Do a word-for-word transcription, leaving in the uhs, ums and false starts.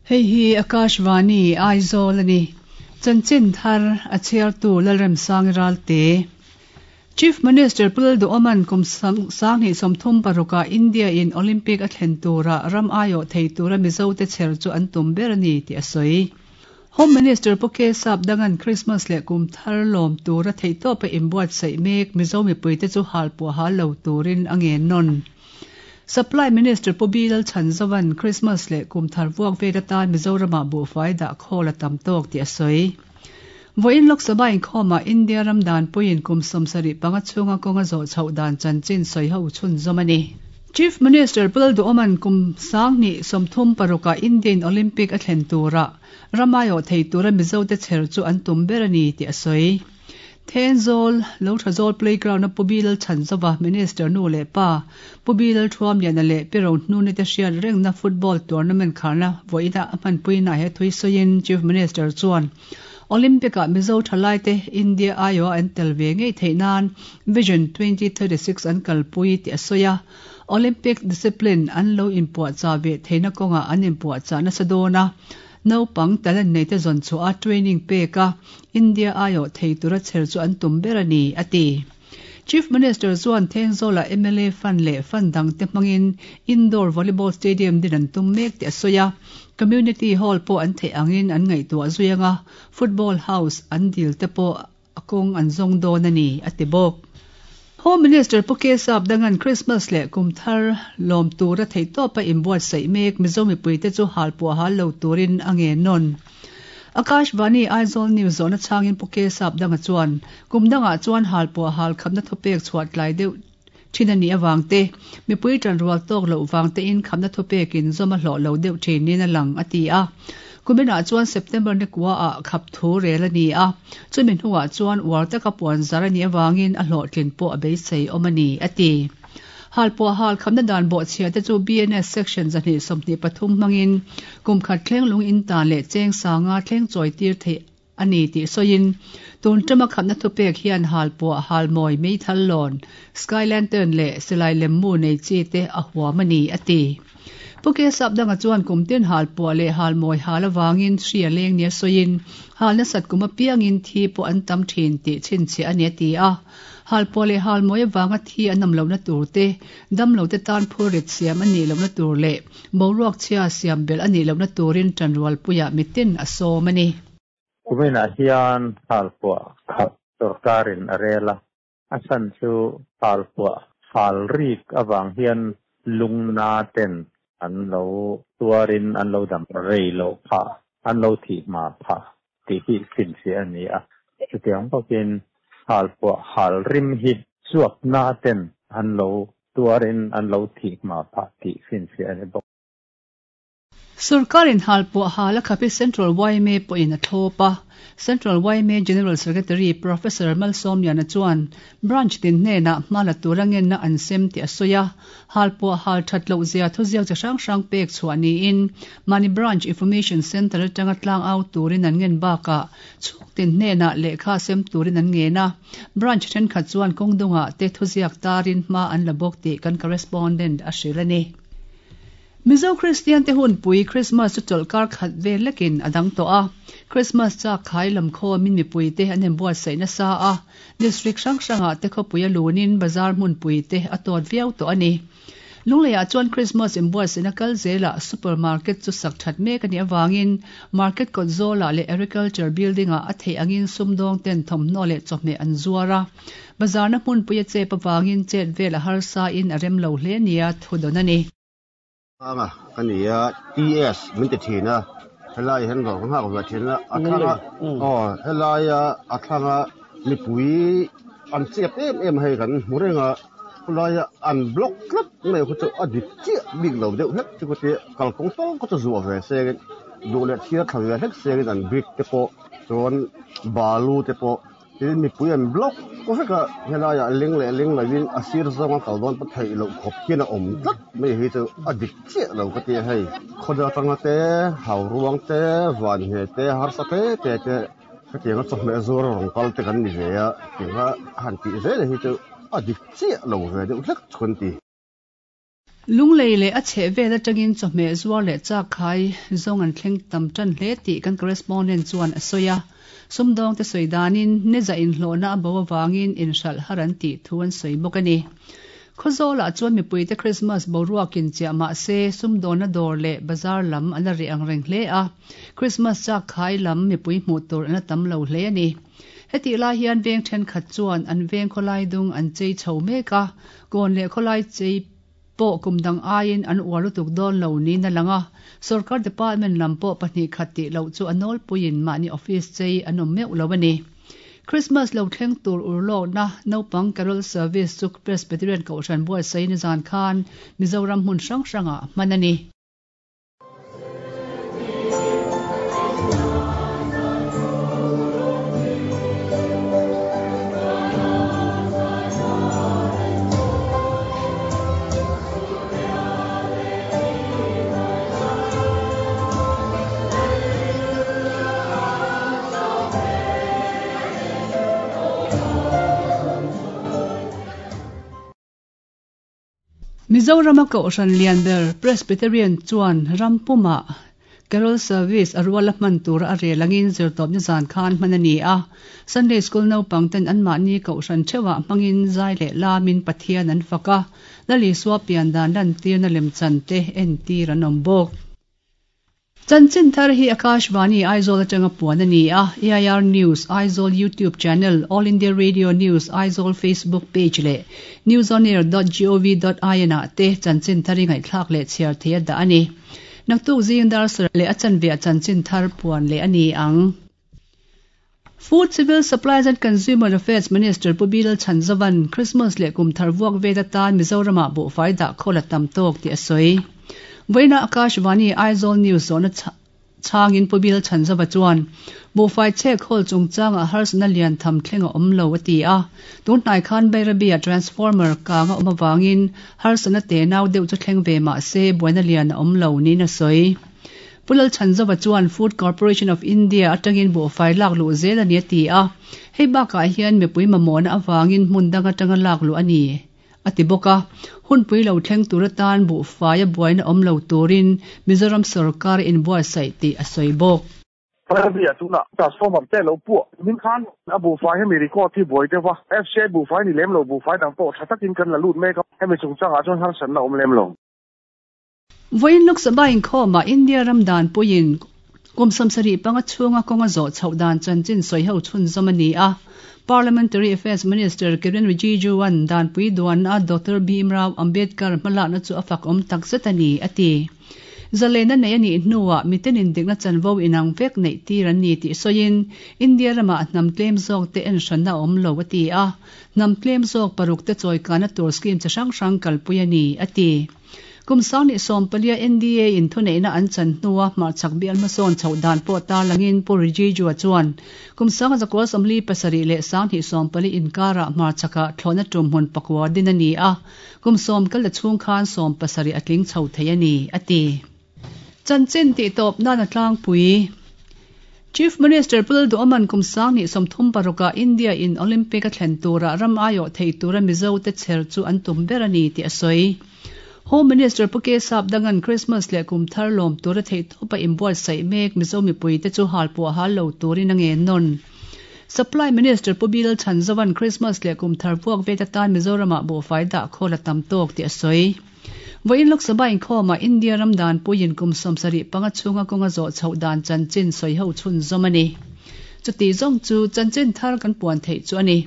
Hei hi Akashvani Aizawl ani. Chanchin thar a chhiartu Lalremsang Ralte. Chief Minister Pu Lalduhoma'n kum sanghnih sawmthum paruka India in Olympic a thlen tura ram aiawh thei tura Mizo te chher chu an tum ber a ni tih a sawi. Home Minister Pu K Sapdanga'n Christmas leh kum thar lawm tura theihtawpa inbuatsaih mek Mizo mipuite chu halpuah hal lo turin a ngen nawn. Supply Minister Pu B Lalchhanzova'n Christmas leh kum thar vuak vel atan Mizoramah buhfai dah khawl a tam tawk tih a sawi. Vawiin Lok Sabha inkhawmah India ram danpuiin kum sawmsarih panga chhunga kawnga zawh chhoh dan chanchin sawi ho chhunzawm a ni. Chief Minister Pu Lalduhoma'n kum sanghnih sawmthum parukah Indian Olympic a thlen tura ram aiawh thei tura Mizo te chher chu an tum ber a ni tih a sawi. Thenzawl, Lothazawl playground a Pu B Lalchhanzova Minister nu leh pa Pu B Lalthuamliana leh Pi Rohnuni te hriat rengna football tournament kharna vawiina a hmanpuina he thui sawiin Chief Minister chuan Olympic-ah Mizo thalai te India aiawh an tel ve ngei theih nan Vision twenty thirty six an kalpui tih a sawi a. Olympic discipline an lo inpuahchah ve theihna kawngah an inpuahchah nasa dawn a. Naupang talent nei te zawn chhuah a training pek a India aiawh thei tura chher chu an tum ber a ni, a ti. Chief Minister chuan Thenzawla M L A fund leh fund dang te hmangin indoor volleyball stadium din an tum mek tih a sawi a. Community hall pawh an theih angin an ngaihtuah zui anga football house an dil te pawh a kawng an zawng dawn a ni, a ti bawk. Home Minister Pu K Sapdanga'n Christmas leh kum thar lawm tura theihtawpa inbuatsaih mek Mizo mipuite chu halpuah hal lo turin a ngen nawn. Akashvani Aizawl News zawhna chhangin Pu K Sapdanga chuan kum dangah chuan halpuah hal khamna thupek chhuah tlai deuh thin a nih awang te, mipui tan rual tawk loh wang te in khamna thupekin zawm a hlawh lo deuh thinin a lang a ti a. Kuminah chuan September ni kua ah khap thu rel a ni a, chumi hnuah chuan uar taka puan zar a nih awangin a hlawhtlin pawh a beisei awm a ni, a ti. Halpuah hal khamna dan bawhchhia te chu B N S section zahnih sawmhnih pathum hmangin kum khat thleng lung in tan leh cheng sanga thleng chawi tir theih a ni tih sawiin tun tama khamna thupek hian halpuah halmawi meithal lawn, sky lantern leh silai lemmu nei chi te a huam a ni, a ti. Pu K Sapdanga chuan kum tin halpuah leh halmawi hal awangin hri a leng nia sawiin halna sat kum apiangin thi pawh an tam thin tih chhinchhiah a ni a ti a. Halpuah leh halmawi awanga thi an awm lohna tur te, dam lo te tan phurrit siam a nih lohna tur leh boruak chhia siam belh a nih lohna turin tanrualpuiah mitin a sawm a ni. Kuminah hian halpuah khap sorkarin a rel a, a chhan chu halpuah hal rik awang hian lungna ten an lo tuarin an lo dam rei lo pha, an lo thih ma pha tih hi chhinchhiah a ni a. Chutiang bawkin halpuah hal rim hi chuap na ten an lo tuarin an lo thih ma pha tih chhinchhiah a ni bawk. Sarkarin halpuah hal a khapi Central Y M A pawhin a thlawp a. Central Y M A General Secretary Professor Malsawmliana chuan branch tin hnenah hmala tura ngenna an sem tih a sawi a. Halpuah hal that loh zia thuziak chi hrang hrang pek chhuah niin Mani Branch Information Centre atanga tlang au turin an ngen bakah chhuk tin hnenah lehkha sem turin an ngen a. Branch thenkhat chuan kawngdungah te thuziak tarin hma an la bawk tih kan correspondent a hrilh a ni. Mizo Christian te hun pui Christmas chu chawlhkar khat vel lekin a dang tawh a. Christmas chak khai lam khawmin mipui te an inbuatsaih nasa a. District hrang hrangah te khawpui a lunin bazar hmun pui te a tawt viau tawh a ni. Lungleiah chuan Christmas inbuatsaihna kal zelah supermarket chu sak that mek a nih awangin market kawt zawlah leh agriculture building-ah a theih angin sumdawng ten thawmhnaw leh chawhmeh an zuar a. Bazarna hmun pui a chep awangin chet vel a harsa in a rem lo hle nia thu dawn a ni. Anga kania T S min ti thina helai hian dawr ka nghak ve thina a thlanga aw helaia a thlanga mipui an chep em em hei kan hmu renga khulaia an block tlat mai khu chu a dik chiah bik lo deuh hlek chu ti kalkawng tal khaw chu zuah ve sengin duh leh thiar thla ve hlek sengin an brick te pawh chuan balu te pawh tin mipui an block ko veka helaia leng leh leng lovin a sir zawnga kal dawn pa theih loh khawp hian a awm tlat mai hi chu a dik chiah lo ka ti hei khawdar tanga te hau ruang te van nge te harsa te te te hetianga chawhmeh zuar rawng kal te kan ni ve a tinga han tih zel hi chu a dik chiah lo ve deuh hlek chu kan ti. Lunglei leh a chheh vel atangin chawhmeh zuar leh chak khai zawng an thleng tam tan hle tih kan correspondent chuan a sawi a. Sumdawng te sawi danin neza inhlawhna a bo awangin inhralh har an tih thu an sawi bawk a ni. Khawzawlah chuan mipuite Christmas boruakin chiah mahse sumdawnna dawr leh bazar lam an la reh ang reng hle a. Christmas chak khai lam mipui hmuh tur an la tam lo hle a ni. Heti lai hian veng thenkhat chuan an veng khawlai dung an chei chho mek a, kawn leh khawlai chei pawh kum dang aiin an uar lutuk dawn lo niin a lang a. Sarkar department lam pawh pahnih khat tih loh chu a nawlpuiin mahni office chei an awm meuh lo a ni. Christmas lo thleng tur urlawkna naupang carol service chu Presbyterian Kohhran buatsaih ni zan khan Mizoram hmun hrang hrangah hman a ni. Mizoram a Kohhran lian ber Presbyterian chuan Rampuma Carol Service a ruala hman tur a relangin zirtawp ni zan khan hman a ni a. Sunday School naupang ten an mahni Kohhran theuhah hmangin zai leh lamin Pathian an fak a. Lali sua pian dan lan tirna lemchan te en tir an awm bawk. Chanchin thar hi Akashvani Aizawl atanga puan a ni a. A I R News Aizawl YouTube channel, All India Radio News Aizawl Facebook page leh newsonair dot gov dot in ah te chanchin thar hi ngaihthlak leh chhiar thei a dah a ni. Naktuk zing dar sar leh a chanve a chanchin thar puan leh a ni ang. Food Civil Supplies and Consumer Affairs Minister Pu Bilal Chhanzovan Christmas leh kum thar vuak vet atan Mizoramah buhfai dah khawl a tam tawk tih a sawi. Vawiina Akashvani Aizawl News zawhna changin Pu Bilal Chhanzova chuan buhfai chhek khawl chungchangah harsatna lian tham thleng a awm lo a ti a. Tunhnai khan Bairabia transformer kang a awm awangin harsatna te nau deuh chu thleng ve mahse buaina lian a awm lo niin a sawi. Pu Lal Chhanzova chuan Food Corporation of India atangin buhfai lak luh zel a ni a ti a. Hei bakah hian mipui mamawhna awangin hmun dang atanga lak luh a ni a ti bawk a. Hunpui lo thleng tur atan buhfai a buaina awm lo turin Mizoram sarkar inbuatsaih tih a sawi bawk. Bairabia tuna transformer te lo puah min khan a buhfai hemi record hi buai deuh a. F C I buhfai ni lem lo buhfai dang pawh tha takin kan la lut mek a. Hemi chungchangah chuan harsatna awm lem lo. Vawiin Lok Sabha inkhawmah India ram dan puiin kum sawmsarih panga chhunga kawnga zawh chhoh dan chanchin sawi ho chhunzawm a ni a. Parliamentary Affairs Minister Kiren Rijiju an dan pui duan a Doctor Bhimrao Ambedkar hmalakna chu a fak awm takzet a ni a ti. Zalena nei a nih hnuah miten indikna chanvo inang vek neih tir an ni tih sawiin India ramah hnam tlem zawk te en hranna awm lo a ti a. Hnam tlem zawk paruk te chawikana tur scheme chi hrang hrang kalpui a ni a ti. Kum sangni sawm palia N D A in thuneihna an chan hnua hmarchhak bial hmasawn chhoh dan pawh tarlangin Pu Rijiju chuan kum sanga zakua sawmli pasarih leh sanghnih sawm pali inkarah hmarchhakah thlawhna tum hmun pakua din a ni a. Kum sawm kal la chhung khan sawm pasarih a tling chho thei a ni a ti. Chanchin tih tawp nan a tlangpui. Chief Minister Pu Lalduhoman kum sangni sawmthum parukah India in Olympic a thlen turah ram aiawh thei tura Mizo te chher chu an tum ber a ni tih a sawi. Home Minister Pu K Sap dangan Christmas leh kum thar lawm tura thei tawpa inbuatsaih mek Mizo mipui te chu halpuah hal lo turin a ngen nawn. Supply Minister Pu Bilal Chhanzovan Christmas leh kum thar vuak vet atan Mizoramah buhfai dah khawl a tam tawk tih a sawi. Vawiin Lok Sabha inkhawmah India ram dan puiin kum sawmsarih panga chhunga kawnga zawh chhoh dan chanchin sawi ho chhunzawm a ni. Chuti zawng chu chanchin thar kan puan theih chu a ni.